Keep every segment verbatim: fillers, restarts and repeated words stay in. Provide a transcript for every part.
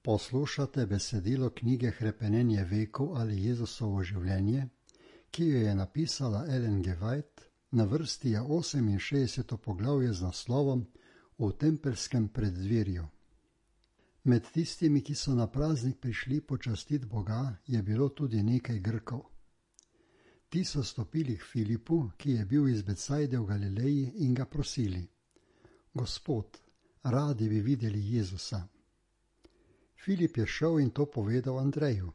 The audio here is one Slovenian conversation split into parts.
Poslušate besedilo knjige Hrepenenje vekov ali Jezusovo življenje, ki jo je napisala Ellen G. White, na vrsti je oseminšestdeseto poglavje z naslovom V tempelskem preddverju. Med tistimi, ki so na praznik prišli počastit Boga, je bilo tudi nekaj Grkov. Ti so stopili k Filipu, ki je bil iz Becajde v Galileji, in ga prosili: Gospod, radi bi videli Jezusa. Filip je šel in to povedal Andreju.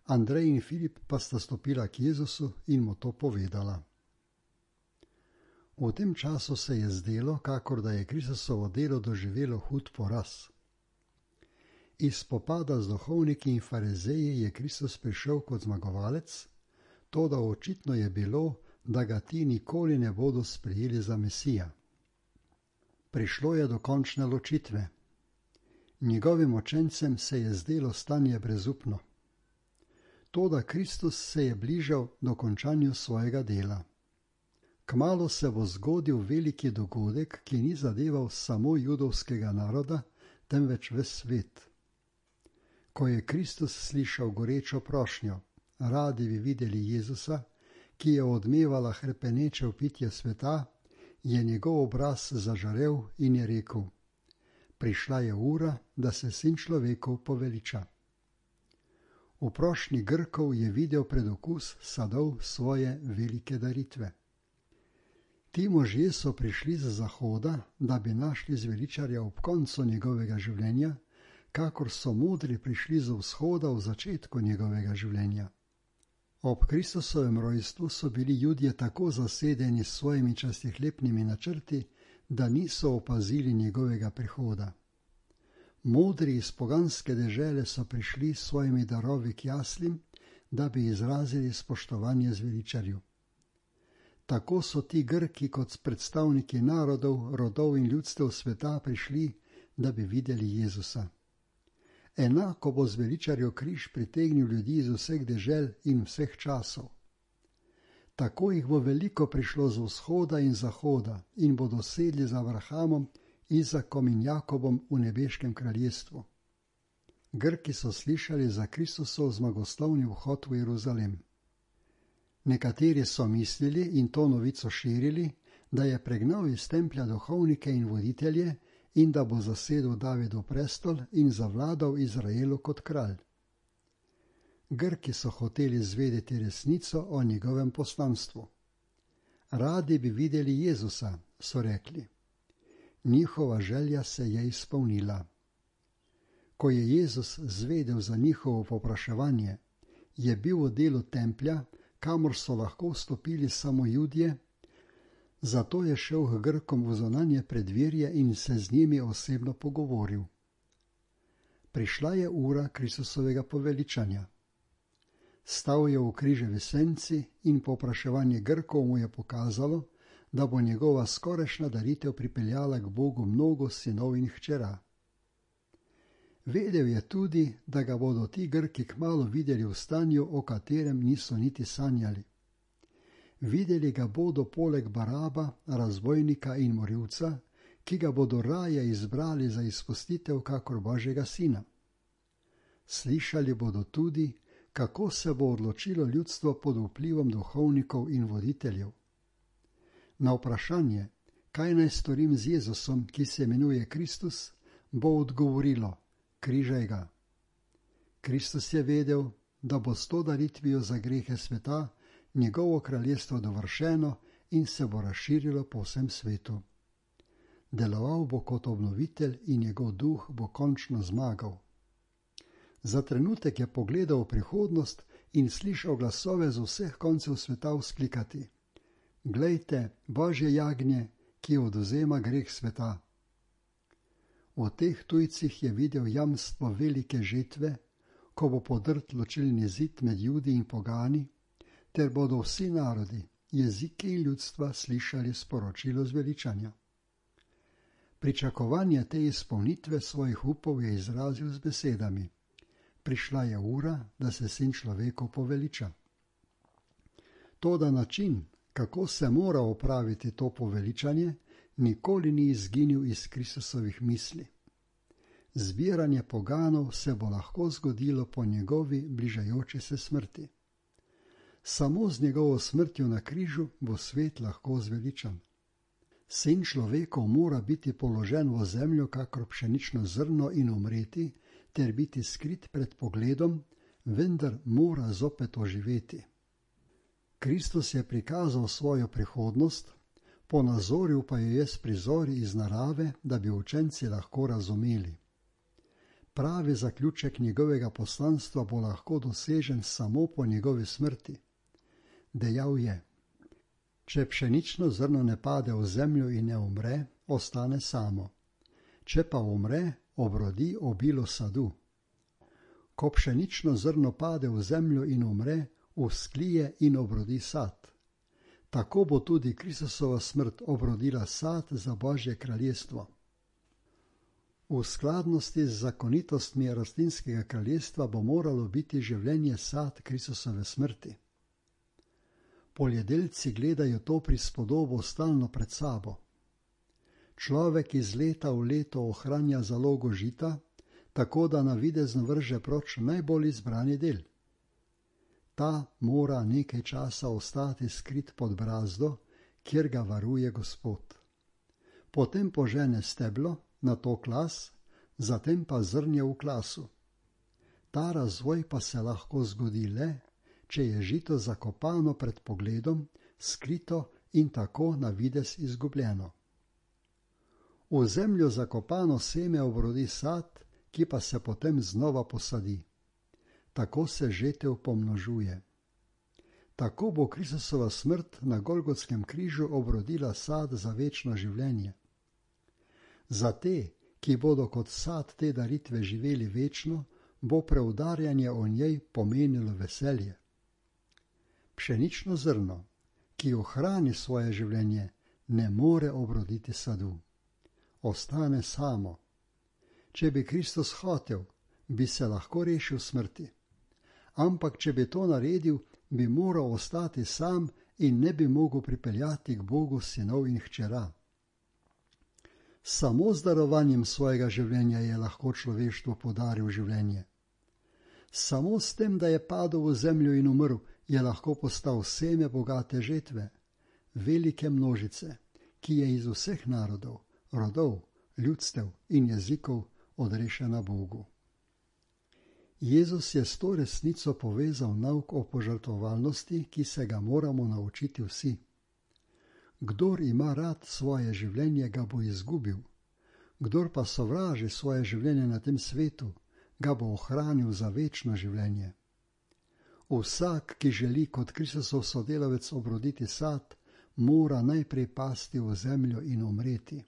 Andrej in Filip pa sta stopila k Jezusu in mu to povedala. V tem času se je zdelo, kakor da je Kristusovo delo doživelo hud poraz. Iz spopada z duhovniki in farizeji je Kristus prišel kot zmagovalec, toda očitno je bilo, da ga ti nikoli ne bodo sprejeli za Mesija. Prišlo je do končne ločitve. Njegovim učencem se je zdelo stanje brezupno. Toda Kristus se je bližal dokončanju svojega dela. Kmalu se bo zgodil veliki dogodek, ki ni zadeval samo judovskega naroda, temveč ves svet. Ko je Kristus slišal gorečo prošnjo, radi bi videli Jezusa, ki je odmevala hrepeneče vpitje sveta, je njegov obraz zažarel in je rekel: Prišla je ura, da se Sin človekov poveliča. V prošnji Grkov je videl predokus sadov svoje velike daritve. Ti možje so prišli z zahoda, da bi našli zveličarja ob koncu njegovega življenja, kakor so modri prišli z vzhoda v začetku njegovega življenja. Ob Kristusovem rojstvu so bili Judje tako zasedeni s svojimi častihlepnimi načrti, da niso opazili njegovega prihoda. Modri iz poganske dežele so prišli s svojimi darovi k jaslim, da bi izrazili spoštovanje zveličarju. Tako so ti Grki kot predstavniki narodov, rodov in ljudstev sveta prišli, da bi videli Jezusa. Enako bo zveličarjev križ pritegnil ljudi iz vseh dežel in vseh časov. Tako jih bo veliko prišlo z vzhoda in zahoda in bodo sedli za Abrahamom, Izakom in Jakobom v nebeškem kraljestvu. Grki so slišali za Kristusov zmagoslavni vhod v Jeruzalem. Nekateri so mislili in to novico širili, da je pregnal iz templja duhovnike in voditelje in da bo zasedel Davidov prestol in zavladal Izraelu kot kralj. Grki so hoteli zvedeti resnico o njegovem poslanstvu. Radi bi videli Jezusa, so rekli. Njihova želja se je izpolnila. Ko je Jezus zvedel za njihovo povpraševanje, je bil v delu templja, kamor so lahko vstopili samo Judje, zato je šel k Grkom v zunanje preddverje in se z njimi osebno pogovoril. Prišla je ura Kristusovega poveličanja. Stal je v križevi senci in povpraševanje Grkov mu je pokazalo, da bo njegova skorajšnja daritev pripeljala k Bogu mnogo sinov in hčera. Vedel je tudi, da ga bodo ti Grki kmalu videli v stanju, o katerem niso niti sanjali. Videli ga bodo poleg Baraba, razbojnika in morilca, ki ga bodo raje izbrali za izpustitev kakor Božjega sina. Slišali bodo tudi, kako se bo odločilo ljudstvo pod vplivom duhovnikov in voditeljev. Na vprašanje, kaj naj storim z Jezusom, ki se imenuje Kristus, bo odgovorilo: križaj ga. Kristus je vedel, da bo s to daritvijo za grehe sveta njegovo kraljestvo dovršeno in se bo razširilo po vsem svetu. Deloval bo kot obnovitelj in njegov duh bo končno zmagal. Za trenutek je pogledal v prihodnost in slišal glasove z vseh koncev sveta vzklikati: Glejte, Božje jagnje, ki odvzema greh sveta. V teh tujcih je videl jamstvo velike žetve, ko bo podrt ločilni zid med Judi in pogani, ter bodo vsi narodi, jeziki in ljudstva slišali sporočilo zveličanja. Pričakovanje te izpolnitve svojih upov je izrazil z besedami: Prišla je ura, da se Sin človekov poveliča. Toda način, kako se mora opraviti to poveličanje, nikoli ni izginil iz Kristusovih misli. Zbiranje poganov se bo lahko zgodilo po njegovi bližajoči se smrti. Samo z njegovo smrtjo na križu bo svet lahko zveličan. Sin človekov mora biti položen v zemljo kakor pšenično zrno in umreti, ter biti skrit pred pogledom, vendar mora zopet oživeti. Kristus je prikazal svojo prihodnost, ponazoril pa jo je s prizori iz narave, da bi učenci lahko razumeli. Pravi zaključek njegovega poslanstva bo lahko dosežen samo po njegovi smrti. Dejal je: če pšenično zrno ne pade v zemljo in ne umre, ostane samo. Če pa umre, obrodi obilo sadu. Ko pšenično zrno pade v zemljo in umre, vzklije in obrodi sad. Tako bo tudi Kristusova smrt obrodila sad za Božje kraljestvo. V skladnosti z zakonitostmi rastlinskega kraljestva bo moralo biti življenje sad Kristusove smrti. Poljedelci gledajo to prispodobo stalno pred sabo. Človek iz leta v leto ohranja zalogo žita, tako da navidezno vrže proč najbolj izbrani del. Ta mora nekaj časa ostati skrit pod brazdo, kjer ga varuje Gospod. Potem požene steblo, nato klas, zatem pa zrnje v klasu. Ta razvoj pa se lahko zgodi le, če je žito zakopano pred pogledom, skrito in tako navidez izgubljeno. V zemljo zakopano seme obrodi sad, ki pa se potem znova posadi. Tako se žetev pomnožuje. Tako bo Kristusova smrt na Golgotskem križu obrodila sad za večno življenje. Za te, ki bodo kot sad te daritve živeli večno, bo preudarjanje o njej pomenilo veselje. Pšenično zrno, ki ohrani svoje življenje, ne more obroditi sadu. Ostane samo. Če bi Kristus hotel, bi se lahko rešil smrti. Ampak če bi to naredil, bi moral ostati sam in ne bi mogel pripeljati k Bogu sinov in hčera. Samo z darovanjem svojega življenja je lahko človeštvu podaril življenje. Samo s tem, da je padel v zemljo in umrl, je lahko postal seme bogate žetve, velike množice, ki je iz vseh narodov, rodov, ljudstev in jezikov odrešena Bogu. Jezus je s to resnico povezal nauk o požrtvovalnosti, ki se ga moramo naučiti vsi. Kdor ima rad svoje življenje, ga bo izgubil. Kdor pa sovraži svoje življenje na tem svetu, ga bo ohranil za večno življenje. Vsak, ki želi kot Kristusov sodelavec obroditi sad, mora najprej pasti v zemljo in umreti.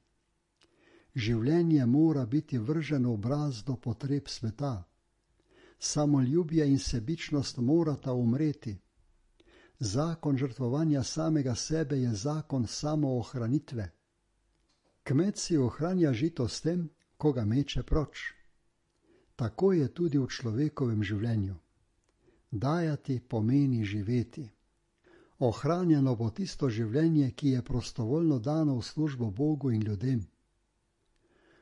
Življenje mora biti vrženo v brazdo potreb sveta. Samoljubje in sebičnost morata umreti. Zakon žrtvovanja samega sebe je zakon samoohranitve. Kmet si ohranja žito s tem, ko ga meče proč. Tako je tudi v človekovem življenju. Dajati pomeni živeti. Ohranjeno bo tisto življenje, ki je prostovoljno dano v službo Bogu in ljudem.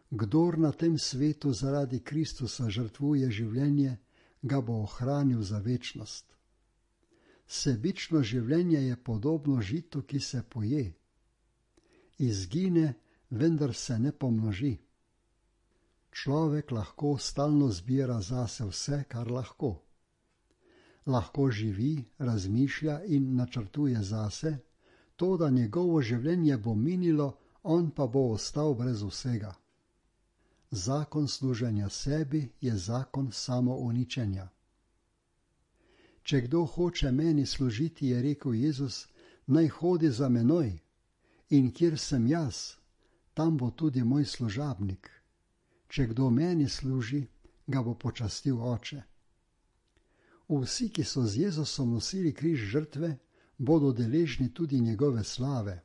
Kdor na tem svetu zaradi Kristusa žrtvuje življenje, ga bo ohranil za večnost. Sebično življenje je podobno žitu, ki se poje. Izgine, vendar se ne pomnoži. Človek lahko stalno zbira zase vse, kar lahko. Lahko živi, razmišlja in načrtuje zase, to, da njegovo življenje bo minilo, on pa bo ostal brez vsega. Zakon služenja sebi je zakon samouničenja. Če kdo hoče meni služiti, je rekel Jezus, naj hodi za menoj, in kjer sem jaz, tam bo tudi moj služabnik. Če kdo meni služi, ga bo počastil Oče. Vsi, ki so z Jezusom nosili križ žrtve, bodo deležni tudi njegove slave.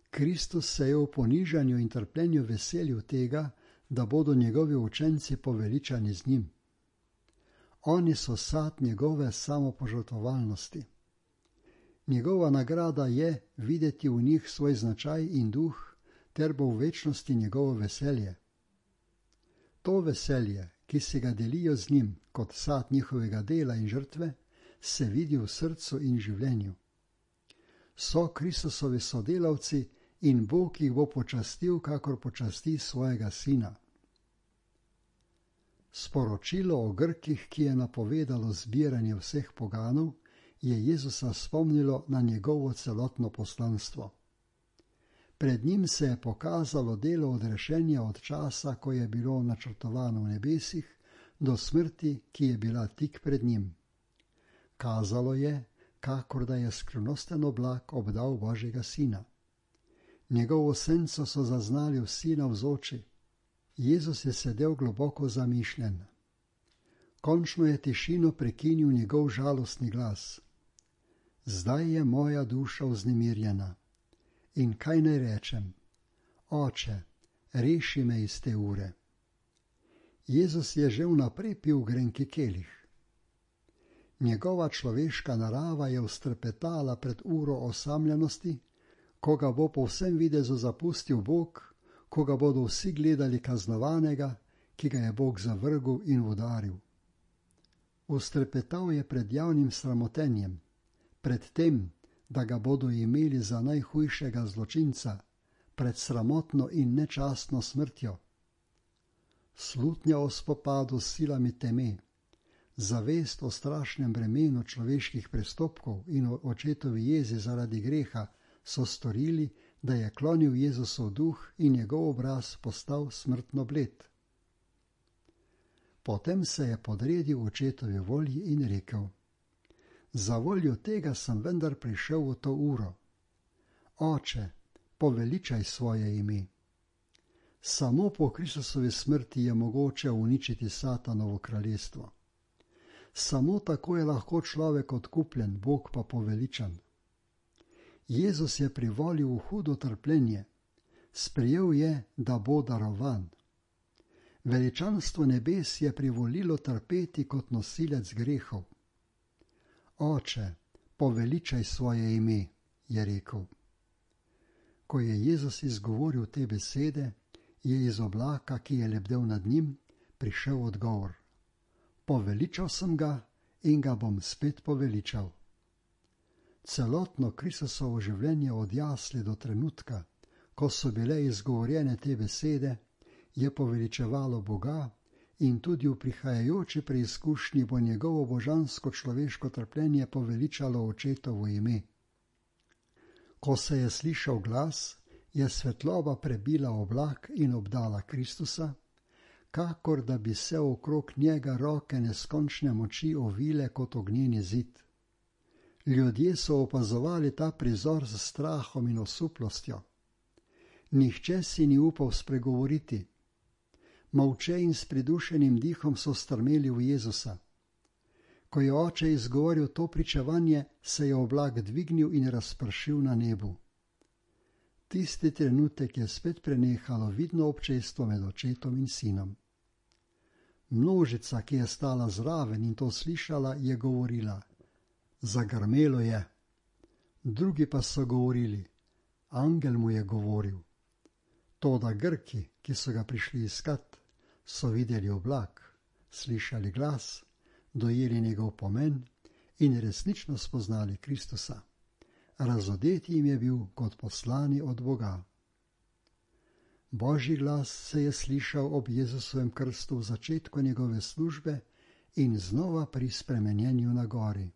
Kristus se je v ponižanju in trpljenju veselil tega, da bodo njegovi učenci poveličani z njim. Oni so sad njegove samopožrtvovalnosti. Njegova nagrada je videti v njih svoj značaj in duh, ter bo v večnosti njegovo veselje. To veselje, ki si ga delijo z njim kot sad njihovega dela in žrtve, se vidi v srcu in življenju. So Kristusovi sodelavci in Bog jih bo počastil, kakor počasti svojega sina. Sporočilo o Grkih, ki je napovedalo zbiranje vseh poganov, je Jezusa spomnilo na njegovo celotno poslanstvo. Pred njim se je pokazalo delo odrešenja od časa, ko je bilo načrtovano v nebesih, do smrti, ki je bila tik pred njim. Kazalo je, kakor da je skrivnosten oblak obdal Božjega sina. Njegovo senco so zaznali vsi navzoči. Jezus je sedel globoko zamišljen. Končno je tišino prekinil njegov žalostni glas. Zdaj je moja duša vznemirjena. In kaj naj rečem? Oče, reši me iz te ure. Jezus je že vnaprej pil grenki kelih. Njegova človeška narava je vztrepetala pred uro osamljenosti, ko ga bo po vsem videzu zapustil Bog, ko ga bodo vsi gledali kaznovanega, ki ga je Bog zavrgel in udaril. Vztrepetal je pred javnim sramotenjem, pred tem, da ga bodo imeli za najhujšega zločinca, pred sramotno in nečastno smrtjo. Slutnja o spopadu s silami teme, zavest o strašnem bremenu človeških prestopkov in o očetovi jezi zaradi greha so storili, da je klonil Jezusov duh in njegov obraz postal smrtno bled. Potem se je podredil očetovi volji in rekel: Za voljo tega sem vendar prišel v to uro. Oče, poveličaj svoje ime. Samo po Kristusovi smrti je mogoče uničiti Satanovo kraljestvo. Samo tako je lahko človek odkupljen, Bog pa poveličan. Jezus je privolil v hudo trpljenje, sprejel je, da bo darovan. Veličanstvo nebes je privolilo trpeti kot nosilec grehov. Oče, poveličaj svoje ime, je rekel. Ko je Jezus izgovoril te besede, je iz oblaka, ki je lebdel nad njim, prišel odgovor. Poveličal sem ga in ga bom spet poveličal. Celotno Kristusovo življenje od jasli do trenutka, ko so bile izgovorjene te besede, je poveličevalo Boga in tudi v prihajajoči preizkušnji bo njegovo božansko človeško trpljenje poveličalo očetovo ime. Ko se je slišal glas, je svetloba prebila oblak in obdala Kristusa, kakor da bi se okrog njega roke neskončne moči ovile kot ognjeni zid. Ljudje so opazovali ta prizor z strahom in osuplostjo. Nihče si ni upal spregovoriti. Molče in s pridušenim dihom so strmeli v Jezusa. Ko je oče izgovoril to pričevanje, se je oblak dvignil in razpršil na nebu. Tisti trenutek je spet prenehalo vidno občestvo med očetom in sinom. Množica, ki je stala zraven in to slišala, je govorila: Zagrmelo je. Drugi pa so govorili: Angel mu je govoril. Toda Grki, ki so ga prišli iskat, so videli oblak, slišali glas, dojeli njegov pomen in resnično spoznali Kristusa. Razodeti jim je bil kot poslani od Boga. Božji glas se je slišal ob Jezusovem krstu v začetku njegove službe in znova pri spremenjenju na gori.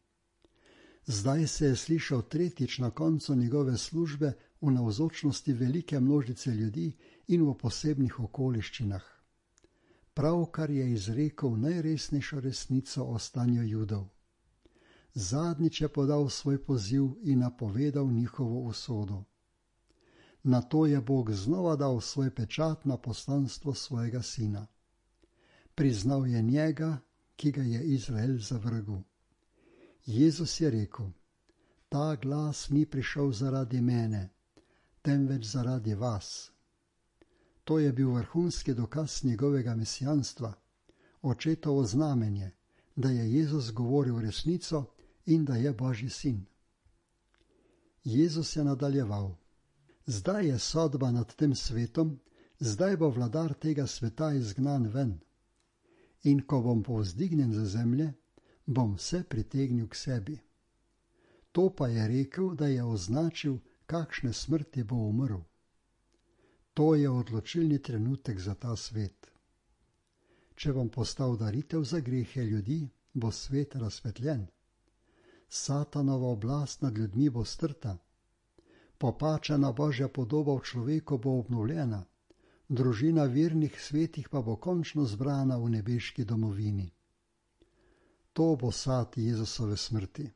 Zdaj se je slišal tretjič na koncu njegove službe v navzočnosti velike množice ljudi in v posebnih okoliščinah. Pravkar je izrekel najresnejšo resnico o stanju Judov. Zadnjič je podal svoj poziv in napovedal njihovo usodo. Nato je Bog znova dal svoj pečat na poslanstvo svojega sina. Priznal je njega, ki ga je Izrael zavrgel. Jezus je rekel: Ta glas ni prišel zaradi mene, temveč zaradi vas. To je bil vrhunski dokaz njegovega mesijanstva, očetovo znamenje, da je Jezus govoril resnico in da je Božji sin. Jezus je nadaljeval: Zdaj je sodba nad tem svetom, zdaj bo vladar tega sveta izgnan ven. In ko bom povzdignjen ze zemlje, bom vse pritegnil k sebi. To pa je rekel, da je označil, kakšne smrti bo umrl. To je odločilni trenutek za ta svet. Če bom postal daritev za grehe ljudi, bo svet razsvetljen. Satanova oblast nad ljudmi bo strta. Popačena Božja podoba v človeku bo obnovljena. Družina vernih svetih pa bo končno zbrana v nebeški domovini. To bo sad Jezusove smrti.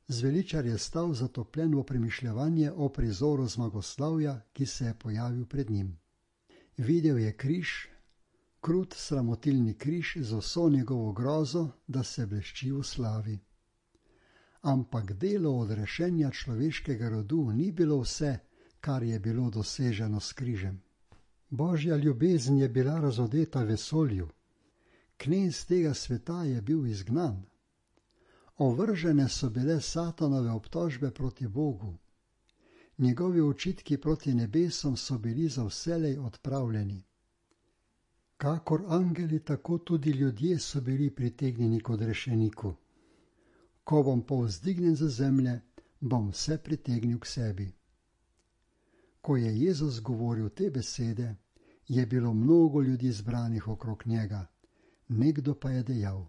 Zveličar je stal zatopljen v premišljevanje o prizoru zmagoslavja, ki se je pojavil pred njim. Videl je križ, krut sramotilni križ z vso njegovo grozo, da se blešči v slavi. Ampak delo odrešenja človeškega rodu ni bilo vse, kar je bilo doseženo s križem. Božja ljubezen je bila razodeta vesolju. Knez tega sveta je bil izgnan. Ovržene so bile Satanove obtožbe proti Bogu. Njegovi očitki proti nebesom so bili za vselej odpravljeni. Kakor angeli, tako tudi ljudje so bili pritegnjeni k odrešeniku. Ko bom povzdignjen ze zemlje, bom vse pritegnil k sebi. Ko je Jezus govoril te besede, je bilo mnogo ljudi zbranih okrog njega. Nekdo pa je dejal: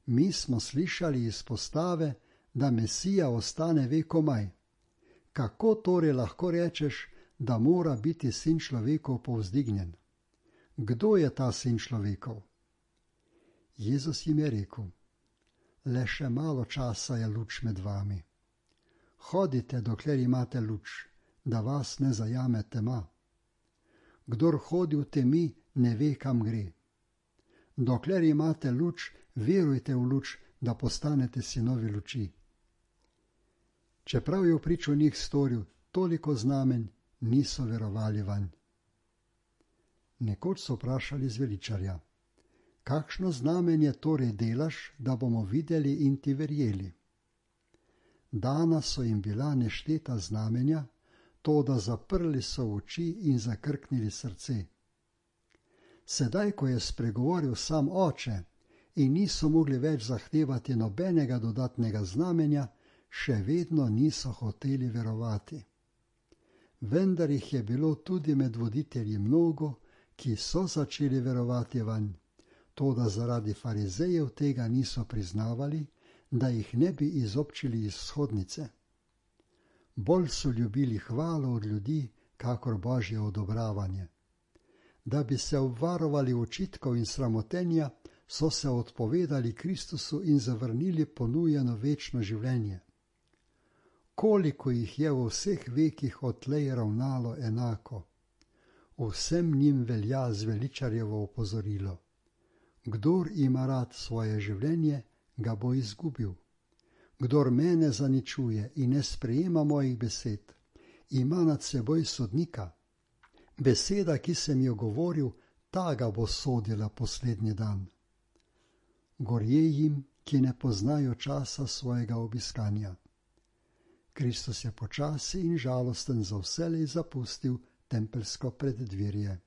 Mi smo slišali izpostave, da Mesija ostane vekomaj. Kako torej lahko rečeš, da mora biti sin človekov povzdignjen? Kdo je ta sin človekov? Jezus jim je rekel: Le še malo časa je luč med vami. Hodite, dokler imate luč, da vas ne zajame tema. Kdor hodi v temi, ne ve, kam gre. Dokler imate luč, verujte v luč, da postanete sinovi luči. Čeprav je v pričo njih storil toliko znamen, niso verovali vanj. Nekoč so vprašali zveličarja: Kakšno znamenje torej delaš, da bomo videli in ti verjeli? Dana so jim bila nešteta znamenja, to da zaprli so oči in zakrknili srce. Sedaj, ko je spregovoril sam Oče in niso mogli več zahtevati nobenega dodatnega znamenja, še vedno niso hoteli verovati. Vendar jih je bilo tudi med voditelji mnogo, ki so začeli verovati vanj, toda zaradi farizejev tega niso priznavali, da jih ne bi izobčili iz shodnice. Bolj so ljubili hvalo od ljudi, kakor Božje odobravanje. Da bi se obvarovali očitkov in sramotenja, so se odpovedali Kristusu in zavrnili ponujeno večno življenje. Koliko jih je v vseh vekih odtlej ravnalo enako? Vsem njim velja zveličarjevo opozorilo: Kdor ima rad svoje življenje, ga bo izgubil. Kdor mene zaničuje in ne sprejema mojih besed, ima nad seboj sodnika. Beseda, ki sem jo govoril, ta ga bo sodila poslednji dan. Gorje jim, ki ne poznajo časa svojega obiskanja. Kristus je počasi in žalosten za vselej zapustil tempeljsko preddverje.